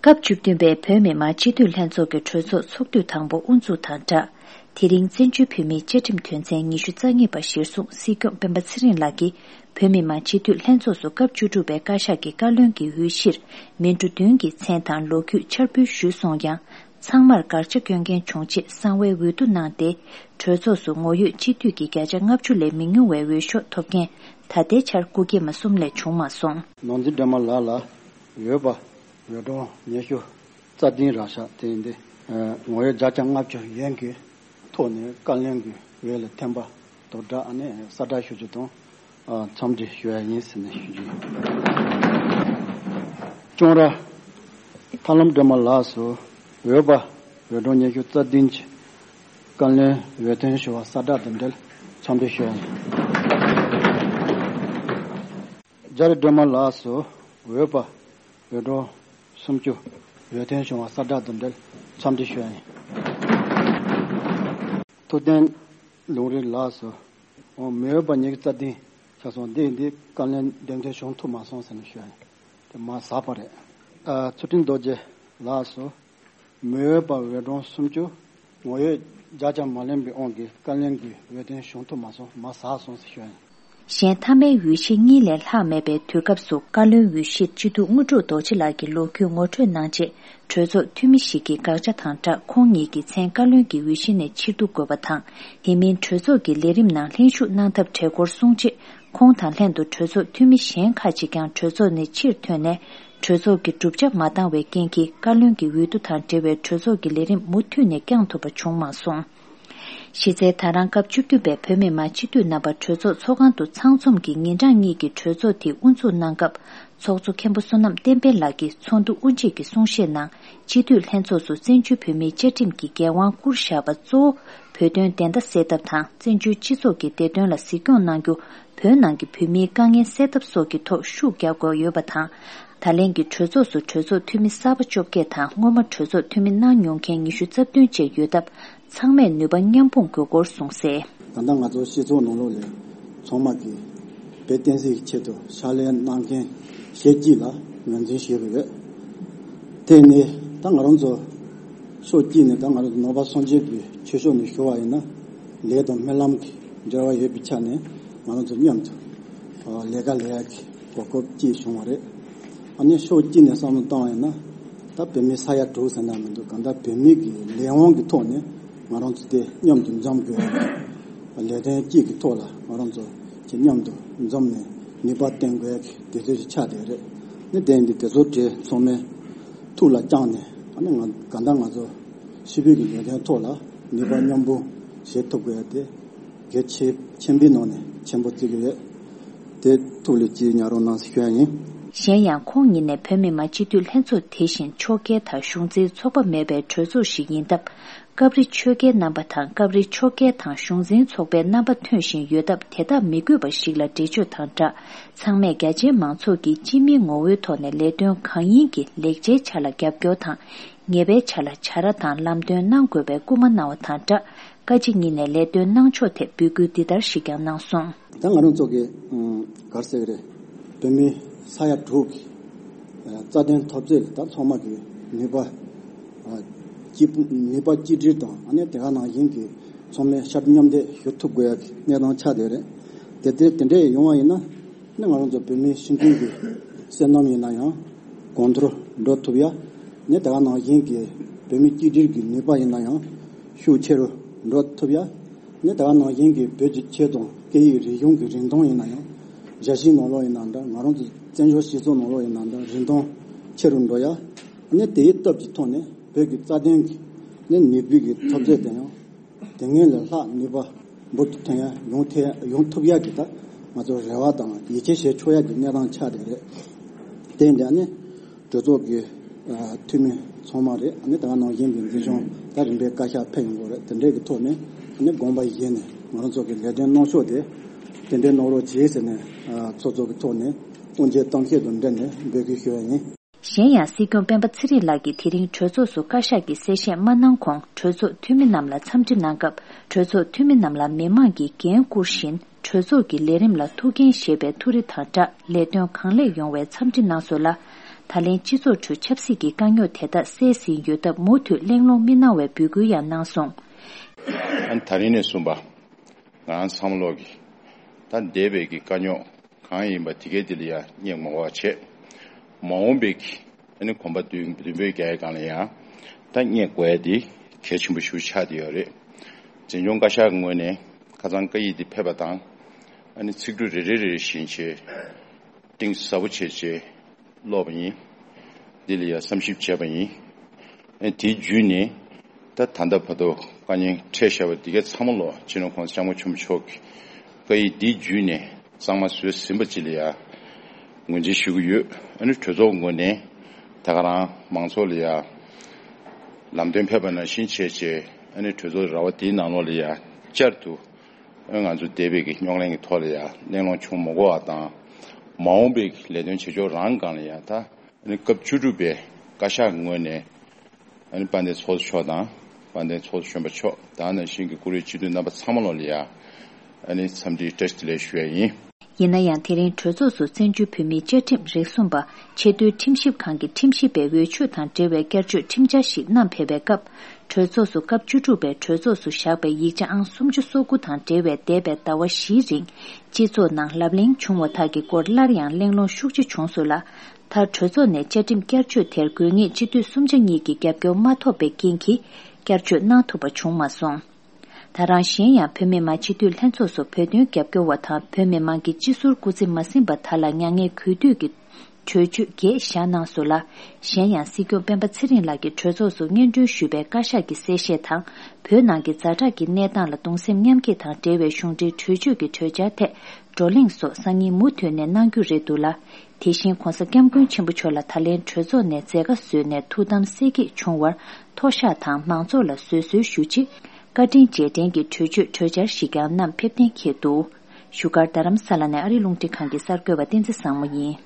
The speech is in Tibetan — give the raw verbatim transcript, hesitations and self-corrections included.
སྐབས་བཅུ་བདུན་པའི་བོད་མི་མང་སྤྱི་འཐུས་ལྷན་ཚོགས་ཀྱི་གྲོས་ཚོགས་ཚོགས་དུས་དང་པོ་དབུ་འཛུགས་དང་སྦྲགས། དེ་རིང་བཙན་བྱོལ་བོད་མིའི་བཅའ་ཁྲིམས་དོན་ཚན་ཉི་ཤུ་རྩ་གཉིས་པ་གཞིར་བཟུང་སྲིད་སྐྱོང་སྤེན་པ་ཚེ་རིང་ལགས་ཀྱིས་བོད་མི་མང་སྤྱི་འཐུས་ལྷན་ཚོགས་སུ་སྐབས་བཅུ་དྲུག་པའི་བཀའ་ཤག་གི་བཀའ་བློན་གྱི་འོས་གཞིར་མི་འགྲོ་བདུན་གྱི་མཚན་དང་ལོ་རྒྱུས་འཆར་འབུལ་ཞུས་སོང་ཡང་། ཚང་མར་དགག་བྱ་སྐྱོན་མཁན་བྱུང་རྗེས་གསང་བའི་འོས་བསྡུ་གནང་སྟེ། གྲོས་ཚོགས་སུ་ངོ་ཡོད་སྤྱི་འཐུས་ཀྱི་བརྒྱ་ཆ་ལྔ་བཅུ་ལས་མི་ཉུང་བའི་འོས་ཤོག་ཐོབ་མཁན་ད་ལྟའི་ཆར་སྐུ་སྐྱེས་མ་གསུམ་ལས་བྱུང་མ་སོང་། ནོར་འཛིན་སྒྲོལ་མ་ལགས་ལ་འོས་པ་འོས་གྲངས་ཉི་ཤུ་རྩ་བདུན་རག་ཤག་དེ་ཡིན་ཏེ། ངོ་ཡོད་བརྒྱ་ཆ་ལྔ་བཅུ་ཡན་གྱི་ཐོག་ནས་བཀའ་བློན་གྱི་འོས་ལ་འཐེན་པ་དང་སྦྲགས་ཨ་ནི་གསལ་བསྒྲགས་ཞུ་རྒྱུ་དང་། ཨ། འཚམས་འདྲི་ཞུ་ཡ་ཡིན་ཟེར་ནས་ཞུ་རྒྱུ་ཡིན། ལྕོང་ར་ཐར་ལམ་སྒྲོལ་མ་ལགས་སུ་འོས་པ་འོས་གྲངས་ཉི་ཤུ་རྩ་བདུན་གྱི་བཀའ་བློན་འོས་ཐོན་ཞུ་བ་གསལ་བསྒྲགས་དང་འབྲེལ་འཚམས་འདྲི་ཞུ་ཡ་ཡིན། རྒྱ་རི་སྒྲོལ་མ་ལགས་སུ་འོས་པ་འོས་གྲངས་སུམ་ཅུ་འོས་ཐོན་བྱུང་བ་གསལ་བསྒྲགས་དང་འབྲེལ་འཚམས་འདྲི་ཞུ་ཡ་ཡིན། ཐུབ་བསྟན་ལུང་རིགས་ལགས་སུ་མི་འོས་པ་ཉི་ཤུ་རྩ་བདུན་ཆགས་སོང་། འདི་འདི་བཀའ་བློན་འདེམས་ཐོན་བྱུང་ཐུབ་མ་སོང་ཟེར་ནས་ཞུ་ཡ་ཡིན། དེ་མ་ཟག་པ་རེད། ཨ། ཚུལ་ཁྲིམས་རྡོ་རྗེ་ལགས་སུ་མི་འོས་པ་འོས་གྲངས་སུམ་ཅུ། ངོ་ཡོད་བརྒྱ་ཆ་མ་ལོན་པའི་དབང་གིས་བཀའ་བློན་གྱི་འོས་ཐོན་བྱུང་ཐུབ་མ་སོང་། མ་ཟག་སོང་ཟེར་ཞུ་ཡ་ཡིན། གཞན་མཐའ་མའི་འོས་གཞི་གཉིས་ལས་ལྷག་མེད་པའི་དུས་སྐབས་སུ་བཀའ་བློན་འོས་གཞིར་སྤྱི་འཐུས་དངོས་གྲུབ་རྡོ་རྗེ་ལགས་ཀྱི་ལོ་རྒྱུས་ངོ་སྤྲོད་གནང་རྗེས། གྲོས་ཚོགས་འཐུས་མི་ཞིག་གིས་དགག་བྱ་དང་སྦྲགས་ཁོང་ཉིད་ཀྱི་མཚན་བཀའ་བློན་གྱི་འོས་གཞི་ནས་ཕྱིར་བསྡུ་དགོས་པ་དང་། དེ་མིན་གྲོས་ཚོགས་ཀྱི་ལས་རིམ་ནང་ལྷན་ཞུགས་གནང་ཐབས་བྲལ་སྐོར་གསུངས་རྗེས། ཁོང་དང་ལྷན་དུ་གྲོས་ཚོགས་འཐུས་མི་གཞན་ཁག་ཅིག་ཀྱང་གྲོས་ཚོགས་ནས་ཕྱིར་ཐོན་ནས། གྲོས་ཚོགས་ཀྱི་གྲུབ་ཆ་མ་འདང་བའི་རྐྱེན་གྱིས་བཀའ་བློན་གྱི་འོས་བསྡུ་དང་འབྲེལ་བའི་གྲོས་ཚོགས་ཀྱི་ལས་རིམ་མུ་མཐུད་ནས་བསྐྱང་ཐུབ་པ་བྱུང་མ་སོང་། གཞི་རྩའི་ད་རང་སྐབས་བཅུ་བདུན་པའི་བོད་མི་མང་སྤྱི་འཐུས་རྣམ་པ་གྲོས་ཚོགས་ཚོགས་ཁང་དུ་ཚང་འཛོམས་ཀྱིས་ཉིན་གྲངས་གཉིས་ཀྱི་གྲོས་ཚོགས་དེ་དབུ་འཛུགས་གནང་སྐབས། ཚོགས་གཙོ་མཁན་པོ་བསོད་ནམས་བསྟན་འཕེལ་ལགས་ཀྱིས་ཚོགས་འདུ་དབུ་འབྱེད་ཀྱི་གསུང་བཤད་ནང་། སྤྱི་འཐུས་ལྷན་ཚོགས་སུ་བཙན་བྱོལ་བོད་མིའི་བཅའ་ཁྲིམས་ཀྱི་འགན་དབང་བསྐུར་བཞག་པ་གཙོ་བོ་བོད་དོན་བདེན་མཐའ་གསལ་ཐབས་དང་། བཙན་བྱོལ་སྤྱི་ཚོགས་ཀྱི་བདེ་དོན་ལ་གཟིགས་སྐྱོང་གནང་རྒྱུ། བོད་ནང་གི་བོད་མིའི་དཀའ་ངལ་སེལ་ཐབས་སོགས་ཀྱི་ཐོག་ཤུགས་རྒྱག་དགོས་ཡོད་པ་དང་། ད་ལན་གྱི་གྲོས་ཚོགས་སུ་གྲོས་ཚོགས་འཐུས་མི་གསར་པ་བཅོ་བརྒྱད་དང་། སྔོན་མ་གྲོས་ཚོགས་འཐུས་མི་གནང་མྱོང་མཁན་ཉི་ཤུ་རྩ་བདུན་བཅས་ཡོད་སྟབས། ཚང་མས་ནུས་པ་མཉམ་སྤུངས་དགོས་སྐོར་གསུངས་གསལ། ད་ལྟ་ང་ཚོ་སྤྱི་ཚོགས་ནང་ལོགས་ལ་ཚང་མ་གིས་བོད་བསྟན་སྲིད་ཀྱི་ཆེད་དུ་ཕྱག་ལས་གནང་མཁན་ཞེ་གཅིག་ལ་ངོས་འཛིན་ཞུས་པ་རེད། དེ་ནས་ད་ང་རང་ཚོ་ཕྱོགས་གཅིག་ནས་ད་ང་རང་ཚོ་ནང་པ་སངས་རྒྱས་པའི་ཆོས་ཕྱོགས་ནས་ཞུ་བ་ཡིན་ན། ལས་དང་སྨོན་ལམ་གྱི་འབྲེལ་བ་ཡོད་པའི་ཆ་ནས་ང་རང་ཚོ་མཉམ་དུ་ལས་ཀ་ལས་ཡག་གི་གོ་སྐབས་སྐྱེས་བྱུང་བ་རེད། ཨ་ནི་ཕྱོགས་གཅིག་ནས་བསམ་བློ་བཏང་བ་ཡིན་ན། ད་བོད་མི་ས་ཡ་དྲུག་ཟེར་ན་མི་འདུག་གང་ལྟར་བོད་མི་གི་ལས་དབང་གི་ཐོག་ནས་ང་རང་ཚོ་དེ་མཉམ་དུ་འཛོམས་དགོས་ཡ། ལས་དོན་གཅིག་གི་ཐོག་ལ་ང་རང་ཚོ་ཆེ་མཉམ་དུ་འཛོམས་ནས་ནུས་པ་བཏོན་དགོས་ཡ་གི་དུས་ཚོད་ཅིག་ཆགས་བསྡད་རེད། ནི་དེ་འདི་དེ་ཚོ་གྲས་ཚང་མའི་ཐུགས་ལ་བཅངས་ནས། ཨ་ནི་ང་གང་ལྟར་ང་ཚོ་ཕྱི་པོད་ཀྱི་ལས་དོན་ཐོག་ལ་ནུས་པ་མཉམ་སྤུངས་བྱེད་ཐུབ་དགོས་ཡ་དེ་གལ་ཆེ་ཆེན་པོའི་ནང་ནས་ཆེན་པོ་བརྩི་གི་ཡོད། དེ་ཐུགས་ལ་གཅིག་ཉར་རོགས་གནང་ཟེར་ཞུ་ཡ་ཡིན། གཞན་ཡང་ཁོང་ཉིད་ནས་བོད་མི་མང་སྤྱི་འཐུས་ལྷན་ཚོགས་དེ་བཞིན་ཕྱོགས་འགལ་དང་གཞུང་འཛིན་ཚོགས་པ་མེད་པའི་གྲོས་ཚོགས་ཤིག་ཡིན་སྟབས། སྐབས་རེ་ཆོལ་ཁའི་རྣམ་པ་དང་སྐབས་རེ་ཕྱོགས་འགལ་དང་གཞུང་འཛིན་ཚོགས་པའི་རྣམ་པ་ཐོན་བཞིན་ཡོད་སྟབས། དེ་དག་མི་དགོས་པ་ཞིག་ལ་འགྲེལ་བརྗོད་དང་སྦྲགས། ཚང་མས་རྒྱ་ཆེའི་མང་ཚོགས་ཀྱིས་སྤྱི་མིའི་ངོ་བོའི་ཐོག་ནས་ལས་དོན་གང་ཡིན་གྱི་ལེགས་ཆའི་ཆ་ལ་རྒྱབ་སྐྱོར་དང་། ཉེས་པའི་ཆ་ལ་བྱ་ར་དང་ལམ་སྟོན་གནང་དགོས་པའི་སྐུལ་མ་གནང་བ་དང་སྦྲགས། བཀའ་སྤྱི་གཉིས་ནས་ལས་དོན་གནང་ཕྱོགས་ཐད་འབོད་སྐུལ་འདི་ལྟར་ཞིག་ཀྱང་གནང་སོང་། ད་ང་རང་ཚོ་གི་ཨ་ག་རེ་ཟེར་གི་རེད། བོད་མི་ས་ཡ་དྲུག་གི་ཨ་རྩ་དོན་འཐབ་རྩོད་ལ་ད་ཚང་མ་གི་ནུས་པ་ཨ་གཅིག་པུ་ནུས་པ་གཅིག་སྒྲིལ་དང་། ཨ་ནི་དེ་ག་ནང་བཞིན་གྱི་ཚང་མས་ཤར་མཉམ་འདེགས་ཞུ་ཐུབ་དགོས་ཡ་གི་གནས་སྟངས་ཆགས་བསྡད་རེད། དེ་དེ་དེ་འདྲས་ཡོང་བ་ཡིན་ན། ནི་ང་རང་ཚོ་བོད་མིའི་སྤྱི་མཐུན་གྱི་བསོད་ནམས་ཡིན་ན་ཡང་གོང་མཐོར་འགྲོ་ཐུབ་ཡ། ནི་དེ་ག་ནང་བཞིན་གྱི་བོད་མི་གཅིག་སྒྲིལ་གྱི་ནུས་པ་ཡིན་ན་ཡང་ཤུགས་ཆེ་རུ་འགྲོ་ཐུབ་ཡ། ནི་དེ་ག་ནང་བཞིན་གྱི་བོད་ཀྱི་ཆོས་དང་སྐད་ཡིག་རིག་གཞུང་གི་རིན་ཐང་ཡིན་ན་ཡང་རྒྱལ་སྤྱིའི་ནང་ལོགས་ཡིན་ན་འདྲ། ང་རང་ཚོ་བཙན་བྱོལ་སྤྱི་ཚོགས་ནང་ལོགས་ཡིན་ན་འདྲ། རིན་ཐང་ཆེ་རུ་འགྲོ་ཡ། ནི་དེའི་སྟོབས་ཀྱི་ཐོག་ནས་བོད་ཀྱི་རྩ་དོན་གྱི་ནི་ནུས་པའི་གི་འཐབ་རྩོད་དེ་ཡང་དེ་སྔོན་ལས་ལྷག་ནུས་པ་འབུར་དུ་ཐོན་ཡ་ཡོང་ཐེ་ཡོང་ཐུབ་ཡ་གི་ད་ང་ཚོ་རེ་བ་དང་ཡིད་ཆེས་བྱེད་ཆོག་ཡ་གི་གནས་སྟངས་ཆགས་བསྡད་རེད། དེ་འདྲ་ནི་གྲོས་ཚོགས་ཀྱི་ཨ་འཐུས་མི་ཚང་མ་རེད། ཨ་ནི་ད་ག་ནང་བཞིན་གྱི་འཛིན་སྐྱོང་ད་རིམ་པས་བཀའ་ཤག་ཕེབས་ཡོང་གི་རེད། དེ་འདྲའི་གི་ཐོག་ནས་ཨ་ནི་དགོངས་པ་བཞེས་ནས་ང་རང་ཚོ་གི་ལས་དོན་གནང་ཕྱོགས་དེ་དེ་འདྲའི་གནང་རོགས་བྱེད་ཟེར་ནས་ཨ་ཚོགས་གཙོ་གི་ཐོག་ནས་དབུ་འབྱེད་གཏམ་བཤད་དང་འབྲེལ་ནས་འབོད་སྐུལ་ཞུ་བ་ཡིན། གཞན་ཡང་སྲིད་སྐྱོང་སྤེན་པ་ཚེ་རིང་ལགས་ཀྱིས་དེ་རིང་གྲོས་ཚོགས་སུ་བཀའ་ཤག་གི་གསལ་བཤད་མ་གནང་གོང་། གྲོས་ཚོགས་འཐུས་མི་རྣམས་ལ་འཚམས་འདྲི་གནང་སྐབས། གྲོས་ཚོགས་འཐུས་མི་རྣམས་ལ་མི་མང་གིས་འགན་བསྐུར་བཞིན། གྲོས་ཚོགས་ཀྱི་ལས་རིམ་ལ་ཐུགས་འགན་བཞེས་པའི་ཐུགས་རེ་དང་སྦྲགས། ལས་དོན་གང་ལེགས་ཡོང་བའི་འཚམས་འདྲི་གནང་སོང་ལ། ད་ལན་སྤྱི་ཚོགས་ཁྲོད་ཆབ་སྲིད་ཀྱི་དཀའ་རྙོག་དེ་དག་སེལ་ཟིན་ཡོད་སྟབས་མུ་མཐུད་གླེང་སློང་མི་གནང་བའི་འབོད་སྐུལ་ཡང་གནང་སོང་། ཨ་ནི་ད་རིང་ནས་བཟུང་པ། ང་རང་ཚང་མ་ལོག་གི་ད་འདས་པའི་གི་དཀའ་རྙོག་གང་ཡིན་པ་དེ་གའི་དེ་ལ་ཡང་སྙེག་མ་དགོས་པ་བྱས། མ་འོངས་པའི་གི་ཨ་ནི་གོམ་པ་མདུན་མདུན་སྤོས་རྒྱག་ཡའི་སྒང་ལ་ཡང་ད་སྙེག་དགོས་ཡ་དེ་གལ་ཆེན་པོ་ཞིག་ཆགས་བསྡད་ཡོད་རེད། འཛིན་སྐྱོང་བཀའ་ཤག་གི་ངོས་ནས་ཁ་སང་བཀའ་ཡིག་འདི་ཕེབས་པ་དང་། ཨ་ནི་ཚིག་འབྲུ་རེ་རེ་རེ་རེ་བཞིན་བྱས། གཏིང་ཟབ་པོ་བྱས་བྱས་ཀློག་པ་ཡིན། འདི་ལ་ཡང་བསམ་ཞིབ་བྱས་པ་ཡིན། ཨ་ནི་དེའི་བརྒྱུད་ནས་ད་ད་ལྟ་བར་དུ་དཀའ་ཉེན་འཕྲད་བཞག་པ་འདི་ག་ཚང་མ་ལོ་སྤྱི་ནོར་༸གོང་ས་༸སྐྱབས་མགོན་ཆེན་པོ་མཆོག་གི་བཀའ་ཡིག་འདིའི་བརྒྱུད་ནས་གཙང་མ་བཟོས་ཟིན་པ་ཅིག་ལ་ཡང་ངོས་འཛིན་ཞུ་གི་ཡོད། ཨ་ནི་གྲོས་ཚོགས་ངོས་ནས་ད་ག་རང་མང་ཚོགས་ལ་ཡང་ལམ་སྟོན་ཕེབས་པ་ནང་བཞིན་བྱས་བྱས་ཨ་ནི་གྲོས་ཚོགས་ར་བ་དེའི་ནང་ལོགས་ལ་ཡང་བསྐྱར་དུ། ང་ཚོ་འདས་པའི་གི་རྙོག་གླེང་གི་ཐོག་ལ་ཡང་གླེང་སློང་བྱུང་མ་དགོས་པ་དང་། མ་འོངས་པའི་གི་ལས་དོན་བྱེད་ཕྱོགས་རང་སྒང་ལ་ཡང་ད་ཨ་ནི་སྐབས་བཅུ་དྲུག་པའི་བཀའ་ཤག་ངོས་ནས་ཨ་ནི་དཔལ་ལྡན་ཚོགས་གཙོ་མཆོག་དང་དཔལ་ལྡན་ཚོགས་གཙོ་གཞོན་པ་མཆོག་དེ་ནང་བཞིན་གྱི་བཀུར་འོས་སྤྱི་འཐུས་རྣམ་པ་ཚང་མ་ལོག་ལ་ཡང་ཨ་ནི་འཚམས་འདྲིའི་བཀྲ་ཤིས་བདེ་ལེགས་ཞུ་ཡ་ཡིན། ཡིན་ན་ཡང་དེ་རིང་གྲོས་ཚོགས་སུ་བཙན་བྱོལ་བོད་མིའི་བཅའ་ཁྲིམས་རིགས་གསུམ་པ་ཆེས་མཐོའི་ཁྲིམས་ཞིབ་ཁང་གི་ཁྲིམས་ཞིབ་པའི་འོས་ཆོས་དང་འབྲེལ་བའི་བསྐྱར་བཅོས་ཁྲིམས་འཆར་ཞིག་བསྣམས་ཕེབས་པའི་སྐབས། གྲོས་ཚོགས་སུ་སྐབས་བཅུ་དྲུག་པའི་གྲོས་ཚོགས་སུ་བཞག་པའི་ཡིག་ཆ་ཨང་སུམ་ཅུ་སོ་དགུ་དང་འབྲེལ་བའི་འདས་པའི་ཟླ་བ་བཞིའི་རིང་སྤྱི་ཚོགས་ནང་ལབ་གླེང་བྱུང་བ་དག་གི་སྐོར་སླར་ཡང་གླེང་སློང་ཤུགས་ཆེ་བྱུང་སོང་ལ། མཐར་གྲོས་ཚོགས་ནས་བཅའ་ཁྲིམས་བསྐྱར་བཅོས་དེར་དགོས་ངེས་སྤྱི་འཐུས་གསུམ་ཆ་གཉིས་ཀྱི་རྒྱབ་སྐྱོར་མ་ཐོབ་པའི་རྐྱེན་གྱིས་བསྐྱར་བཅོས་གནང་ཐུབ་པ་བྱུང་མ་སོང་། ད་རང་གཞན་ཡང་བོད་མི་མང་སྤྱི་འཐུས་ལྷན་ཚོགས་སུ་བོད་དོན་རྒྱབ་སྐྱོར་བ་དང་བོད་མི་མང་གི་སྤྱི་ཟུར་སྐུ་ཚེ་མ་ཟིན་པ་དག་ལ་མྱ་ངན་གུས་འདུད་ཀྱི་གྲོས་ཆོད་བརྒྱད་བཞག་གནང་སོང་ལ། གཞན་ཡང་སྲིད་སྐྱོང་སྤེན་པ་ཚེ་རིང་ལགས་ཀྱིས་གྲོས་ཚོགས་སུ་སྙན་སྒྲོན་ཞུས་པའི་བཀའ་ཤག་གི་གསལ་བཤད་དང་། བོད་ནང་གི་ཛ་དྲག་གི་གནས་སྟངས་ལ་གདུང་སེམས་མཉམ་སྐྱེད་དང་འབྲེལ་བའི་གཞུང་འབྲེལ་གྲོས་ཆོད་ཀྱི་གྲོས་འཆར་ཐད་བགྲོ་གླེང་སོགས་སང་ཉིན་མུ་མཐུད་ནས་གནང་རྒྱུ་རེད་འདུག་ལ། དེ་བཞིན་༸གོང་ས་༸སྐྱབས་མགོན་ཆེན་པོ་མཆོག་ལ་ད་ལན་གྲོས་ཚོགས་ནས་མཛད་དཀའ་བཟོས་ནས་ཐུགས་དམ་གསལ་འགྱེད་བྱུང་བར་མཐོ་བཤགས་དང་མང་ཚོགས་ལ་བཟོད་གསོལ་ཞུ་ཆེད། བཀའ་དྲིན་རྗེས་དྲན་གྱི་གྲོས་ཆོད་གྲོས་འཆར་ཞིག་ཀྱང་བསྣམས་ཕེབས་གཏན་འཁེལ་འདུག་བཞུགས་སྒར་རྡ་རམ་ས་ལ་ནས་ཨ་རི་རླུང་འཕྲིན་ཁང་གི་གསར་འགོད་པ་བསྟན་འཛིན་བཟང་མོ་ཡིན།